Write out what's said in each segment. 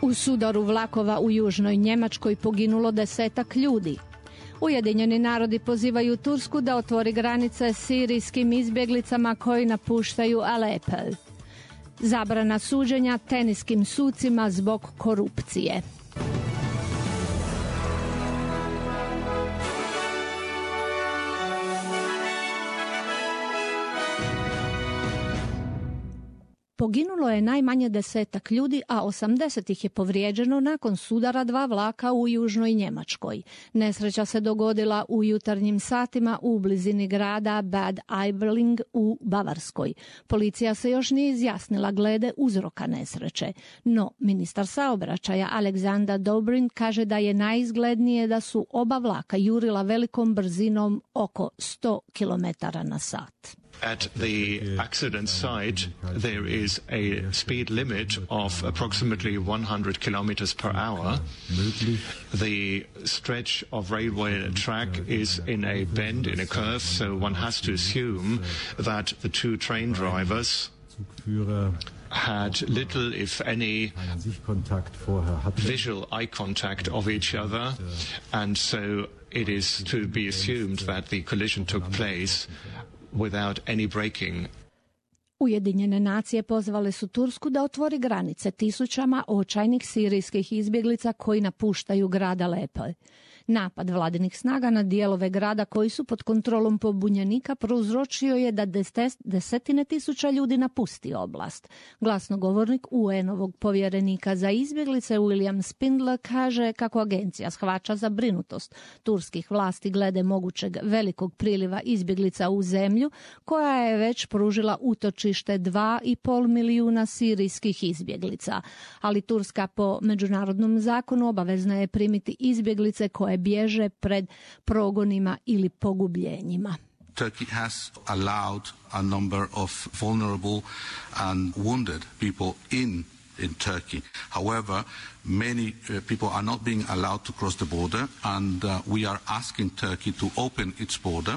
U sudaru vlakova u južnoj Njemačkoj poginulo 10 ljudi. Ujedinjeni narodi pozivaju Tursku da otvori granice sirijskim izbjeglicama koji napuštaju Alepo. Zabrana suđenja teniskim sucima zbog korupcije. Poginulo je najmanje 10 ljudi, a 80 ih je povrijeđeno nakon sudara 2 vlaka u južnoj Njemačkoj. Nesreća se dogodila u jutarnjim satima u blizini grada Bad Aibling u Bavarskoj. Policija se još nije izjasnila glede uzroka nesreće, no ministar saobraćaja Aleksandar Dobrin kaže da je najizglednije da su oba vlaka jurila velikom brzinom oko 100 km/h. At the accident site, there is a speed limit of approximately 100 kilometers per hour. The stretch of railway track is in a bend, in a curve, so one has to assume that the two train drivers had little, if any, visual eye contact of each other, and so it is to be assumed that the collision took place without any braking. Ujedinjene nacije pozvale su Tursku da otvori granice tisućama očajnih sirijskih izbjeglica koji napuštaju grad Alepo. Napad vladinih snaga na dijelove grada koji su pod kontrolom pobunjenika prouzročio je da desetine tisuća ljudi napusti oblast. Glasnogovornik UN-ovog povjerenika za izbjeglice William Spindler kaže kako agencija shvaća zabrinutost turskih vlasti glede mogućeg velikog priliva izbjeglica u zemlju koja je već pružila utočište 2,5 milijuna sirijskih izbjeglica. Ali Turska po međunarodnom zakonu obavezna je primiti izbjeglice koje bježe pred progonima ili pogubljenjima. Turkey has allowed a number of vulnerable and wounded people in Turkey. However, many people are not being allowed to cross the border, and we are asking Turkey to open its border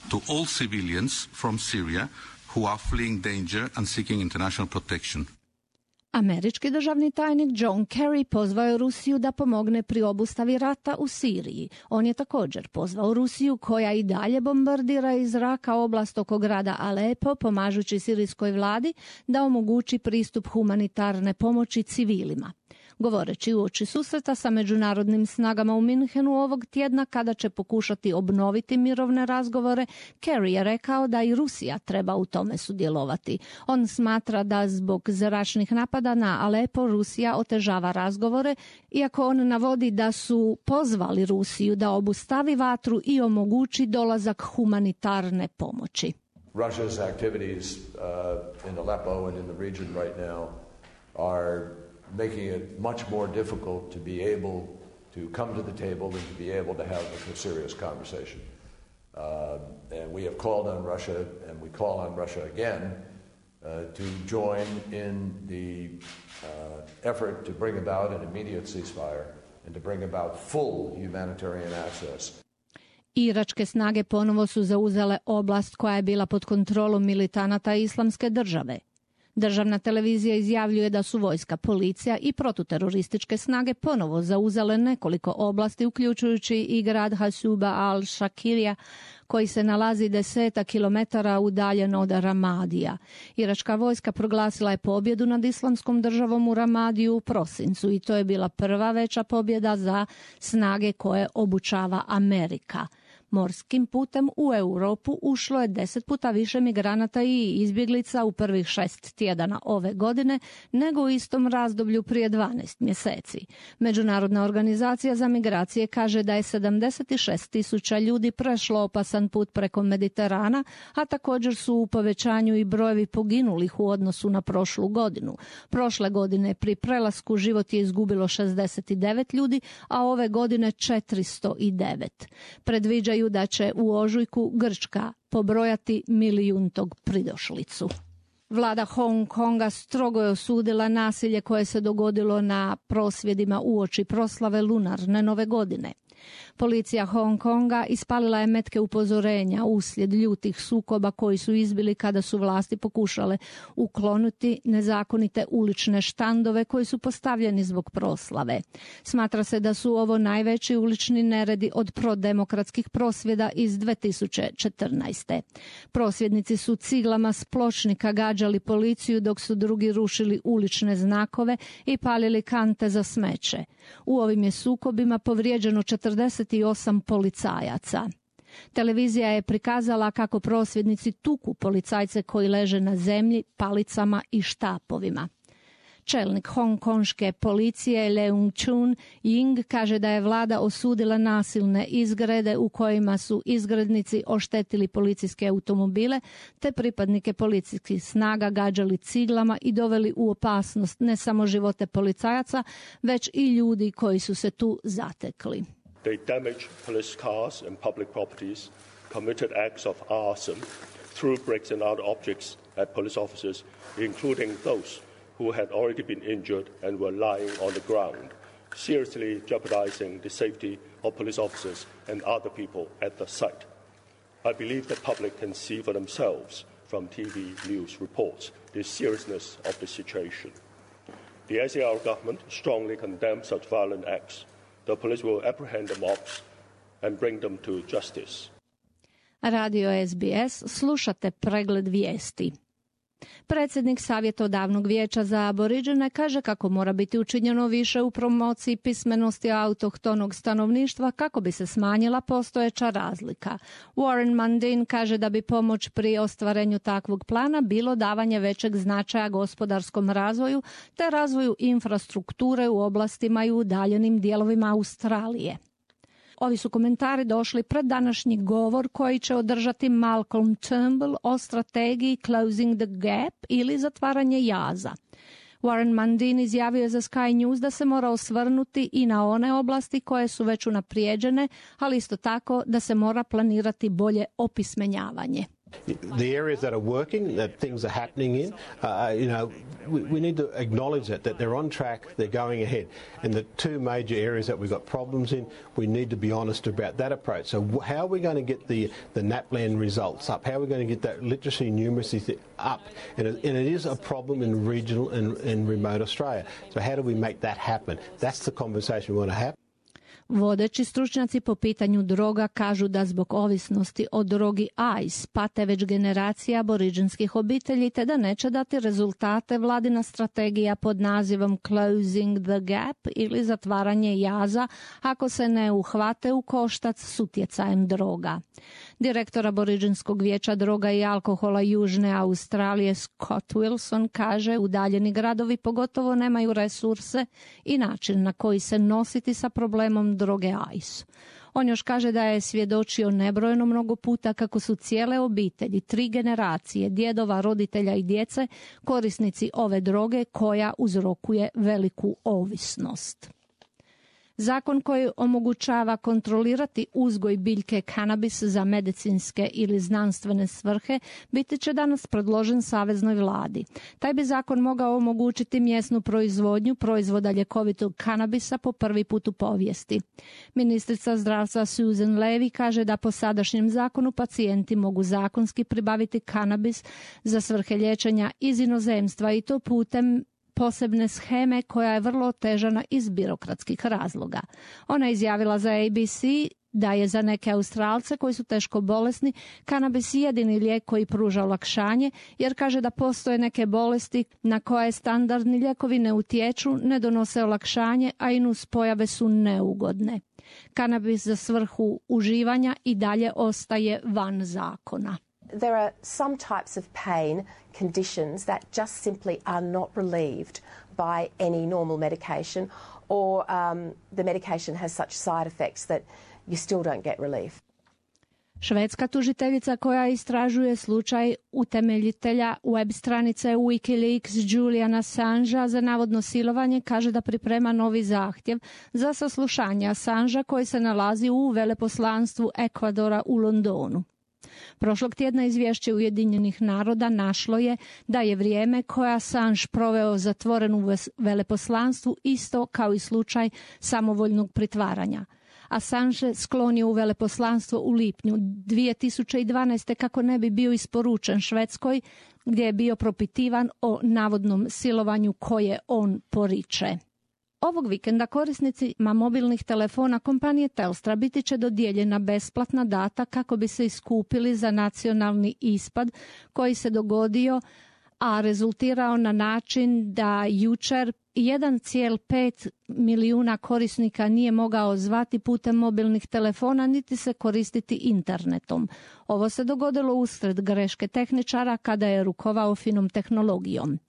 to all civilians from Syria who are fleeing danger and seeking international protection. Američki državni tajnik John Kerry pozvao je Rusiju da pomogne pri obustavi rata u Siriji. On je također pozvao Rusiju, koja i dalje bombardira iz zraka oblast oko grada Alepo, pomažući sirijskoj vladi da omogući pristup humanitarne pomoći civilima. Govoreći uoči susreta sa međunarodnim snagama u Minhenu ovog tjedna kada će pokušati obnoviti mirovne razgovore, Kerry je rekao da i Rusija treba u tome sudjelovati. On smatra da zbog zračnih napada na Alepo Rusija otežava razgovore, iako on navodi da su pozvali Rusiju da obustavi vatru i omogući dolazak humanitarne pomoći. Russia's activities in Aleppo and in the region right now are making it much more difficult to be able to come to the table and to be able to have a serious conversation. And we have called on Russia, and we call on Russia again to join in the effort to bring about an immediate ceasefire and to bring about full humanitarian access. Iračke snage ponovo su zauzele oblast koja je bila pod kontrolom militanata Islamske države. Državna televizija izjavljuje da su vojska, policija i protuterorističke snage ponovo zauzele nekoliko oblasti, uključujući i grad Hasuba al-Shakirija, koji se nalazi 10 kilometara udaljen od Ramadija. Iračka vojska proglasila je pobjedu nad Islamskom državom u Ramadiju u prosincu i to je bila prva veća pobjeda za snage koje obučava Amerika. Morskim putem u Europu ušlo je 10 puta više migranata i izbjeglica u prvih 6 tjedana ove godine nego u istom razdoblju prije 12 mjeseci. Međunarodna organizacija za migracije kaže da je 76.000 ljudi prešlo opasan put preko Mediterana, a također su u povećanju i brojevi poginulih u odnosu na prošlu godinu. Prošle godine pri prelasku život je izgubilo 69 ljudi, a ove godine 409. Predviđaju da će u ožujku Grčka pobrojati milijuntog pridošlicu. Vlada Hong Konga strogo je osudila nasilje koje se dogodilo na prosvjedima uoči proslave lunarne nove godine. Policija Hong Konga ispalila je metke upozorenja uslijed ljutih sukoba koji su izbili kada su vlasti pokušale ukloniti nezakonite ulične štandove koji su postavljeni zbog proslave. Smatra se da su ovo najveći ulični neredi od prodemokratskih prosvjeda iz 2014. Prosvjednici su ciglama s pločnika gađali policiju dok su drugi rušili ulične znakove i palili kante za smeće. U ovim je sukobima povrijeđeno 48 policajaca. Televizija je prikazala kako prosvjednici tuku policajce koji leže na zemlji palicama i štapovima. Čelnik hongkonške policije Leung Chun Ying kaže da je vlada osudila nasilne izgrede u kojima su izgrednici oštetili policijske automobile te pripadnike policijskih snaga gađali ciglama i doveli u opasnost ne samo živote policajaca, već i ljudi koji su se tu zatekli. They damaged police cars and public properties, committed acts of arson, threw bricks and other objects at police officers, including those who had already been injured and were lying on the ground, seriously jeopardizing the safety of police officers and other people at the site. I believe the public can see for themselves from TV news reports the seriousness of the situation. The ICR government strongly condemns such violent acts. The police will apprehend the mobs and bring them to justice. Radio SBS, slušate pregled vijesti. Predsjednik savjetodavnog vijeća za Aboriđene kaže kako mora biti učinjeno više u promociji pismenosti autohtonog stanovništva kako bi se smanjila postojeća razlika. Warren Mundine kaže da bi pomoć pri ostvarenju takvog plana bilo davanje većeg značaja gospodarskom razvoju te razvoju infrastrukture u oblastima i udaljenim dijelovima Australije. Ovi su komentari došli pred današnji govor koji će održati Malcolm Turnbull o strategiji Closing the Gap ili zatvaranje jaza. Warren Mundine izjavio je za Sky News da se mora osvrnuti i na one oblasti koje su već unaprijeđene, ali isto tako da se mora planirati bolje opismenjavanje. The areas that are working, that things are happening in, we need to acknowledge that they're on track, they're going ahead. And the two major areas that we've got problems in, we need to be honest about that approach. So how are we going to get the NAPLAN results up? How are we going to get that literacy and numeracy up? And it is a problem in regional and remote Australia. So how do we make that happen? That's the conversation we want to have. Vodeći stručnjaci po pitanju droga kažu da zbog ovisnosti o drogi ice pate već generacija aboriđinskih obitelji te da neće dati rezultate vladina strategija pod nazivom Closing the Gap ili zatvaranje jaza ako se ne uhvate u koštac s utjecajem droga. Direktor Aboriđinskog vijeća droga i alkohola Južne Australije Scott Wilson kaže udaljeni gradovi pogotovo nemaju resurse i način na koji se nositi sa problemom droge ice. On još kaže da je svjedočio nebrojeno mnogo puta kako su cijele obitelji, 3 generacije, djedova, roditelja i djece korisnici ove droge koja uzrokuje veliku ovisnost. Zakon koji omogućava kontrolirati uzgoj biljke kanabis za medicinske ili znanstvene svrhe biti će danas predložen saveznoj vladi. Taj bi zakon mogao omogućiti mjesnu proizvodnju proizvoda ljekovitog kanabisa po prvi put u povijesti. Ministrica zdravstva Susan Levy kaže da po sadašnjem zakonu pacijenti mogu zakonski pribaviti kanabis za svrhe liječenja iz inozemstva i to putem posebne sheme koja je vrlo otežana iz birokratskih razloga. Ona je izjavila za ABC da je za neke Australce koji su teško bolesni kanabis jedini lijek koji pruža olakšanje, jer kaže da postoje neke bolesti na koje standardni lijekovi ne utječu, ne donose olakšanje, a i nuspojave su neugodne. Kanabis za svrhu uživanja i dalje ostaje van zakona. There are some types of pain conditions that just simply are not relieved by any normal medication, or the medication has such side effects that you still don't get relief. Švedska tužiteljica koja istražuje slučaj utemeljitelja web stranice Wikileaks Juliana Assangea za navodno silovanje kaže da priprema novi zahtjev za saslušanje Assangea koji se nalazi u veleposlanstvu Ekvadora u Londonu. Prošlog tjedna izvješće Ujedinjenih naroda našlo je da je vrijeme koje Assange proveo zatvoren u veleposlanstvu isto kao i slučaj samovoljnog pritvaranja. Assange sklonio u veleposlanstvo u lipnju 2012. kako ne bi bio isporučen Švedskoj, gdje je bio propitivan o navodnom silovanju koje on poriče. Ovog vikenda korisnicima mobilnih telefona kompanije Telstra biti će dodijeljena besplatna data kako bi se iskupili za nacionalni ispad koji se dogodio, a rezultirao na način da jučer 1,5 milijuna korisnika nije mogao zvati putem mobilnih telefona niti se koristiti internetom. Ovo se dogodilo usred greške tehničara kada je rukovao finom tehnologijom.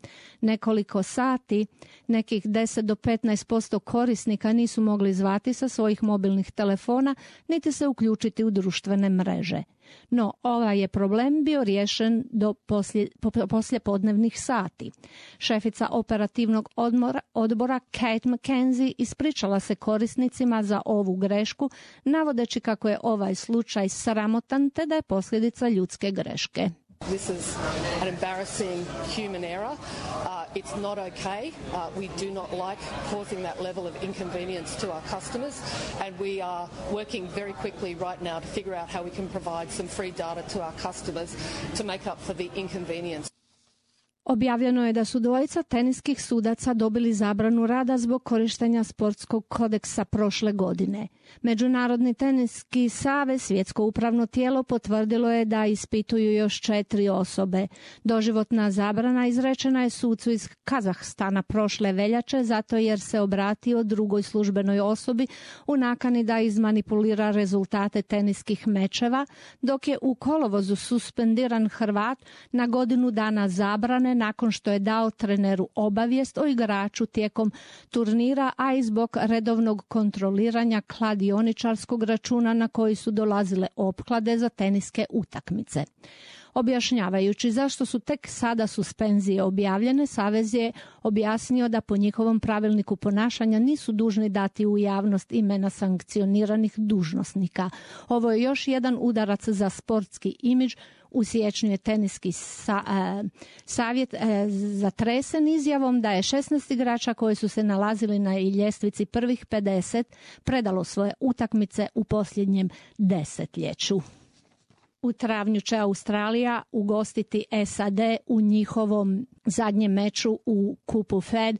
Nekoliko sati, nekih 10 do 15% korisnika nisu mogli zvati sa svojih mobilnih telefona niti se uključiti u društvene mreže. No, ovaj je problem bio riješen do poslijepodnevnih sati. Šefica operativnog odbora Kate McKenzie ispričala se korisnicima za ovu grešku, navodeći kako je ovaj slučaj sramotan te da je posljedica ljudske greške. This is an embarrassing human error. It's not okay. We do not like causing that level of inconvenience to our customers, and we are working very quickly right now to figure out how we can provide some free data to our customers to make up for the inconvenience. Objavljeno je da su dvojica teniskih sudaca dobili zabranu rada zbog korištenja sportskog kodeksa prošle godine. Međunarodni teniski savez, svjetsko upravno tijelo, potvrdilo je da ispituju još 4 osobe. Doživotna zabrana izrečena je sucu iz Kazahstana prošle veljače zato jer se obratio drugoj službenoj osobi u nakani da izmanipulira rezultate teniskih mečeva, dok je u kolovozu suspendiran Hrvat na godinu dana zabrane nakon što je dao treneru obavijest o igraču tijekom turnira, a i zbog redovnog kontroliranja kladioničarskog računa na koji su dolazile opklade za teniske utakmice. Objašnjavajući zašto su tek sada suspenzije objavljene, savez je objasnio da po njihovom pravilniku ponašanja nisu dužni dati u javnost imena sankcioniranih dužnosnika. Ovo je još jedan udarac za sportski imidž. U siječnju je teniski savjet zatresen izjavom da je 16 igrača koji su se nalazili na ljestvici prvih 50 predalo svoje utakmice u posljednjem desetljeću. U travnju će Australija ugostiti SAD u njihovom zadnjem meču u kupu Fed.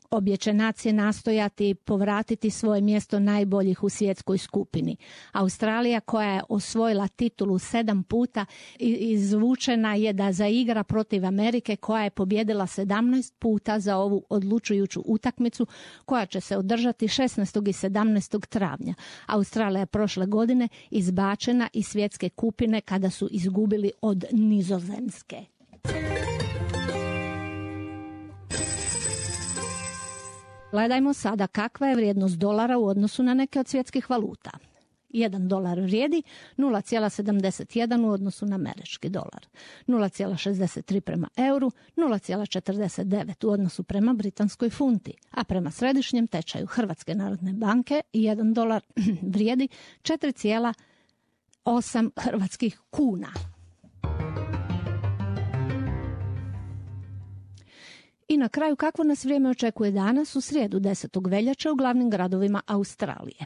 Obje će nacije nastojati povratiti svoje mjesto najboljih u svjetskoj skupini. Australija, koja je osvojila titulu 7 puta, izvučena je da zaigra protiv Amerike, koja je pobjedila 17 puta za ovu odlučujuću utakmicu koja će se održati 16. i 17. travnja. Australija je prošle godine izbačena iz svjetske kupine kada su izgubili od Nizozemske. Gledajmo sada kakva je vrijednost dolara u odnosu na neke od svjetskih valuta. 1 dolar vrijedi 0,71 u odnosu na američki dolar, 0,63 prema euru, 0,49 u odnosu prema britanskoj funti, a prema središnjem tečaju Hrvatske narodne banke 1 dolar vrijedi 4,8 hrvatskih kuna. I na kraju, kakvo nas vrijeme očekuje danas u srijedu 10. veljače u glavnim gradovima Australije.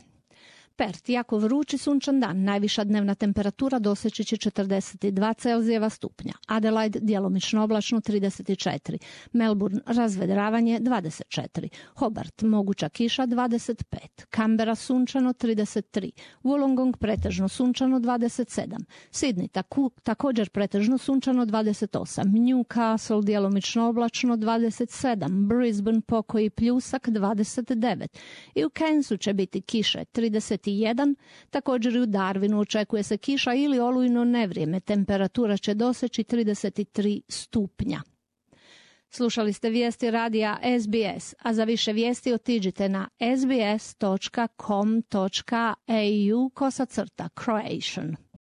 Perth, jako vrući sunčan dan, najviša dnevna temperatura doseći će 42 Celzijeva stupnja. Adelaide, djelomično oblačno 34. Melbourne, razvedravanje 24. Hobart, moguća kiša 25. Canberra, sunčano 33. Wollongong, pretežno sunčano 27. Sydney, također pretežno sunčano 28. Newcastle, djelomično oblačno 27. Brisbane, pokoji pljusak 29. I u Cairnsu će biti kiše 31. Također i u Darwinu očekuje se kiša ili olujno nevrijeme. Temperatura će doseći 33 stupnja. Slušali ste vijesti radija SBS, a za više vijesti otiđite na sbs.com.au/Croatian.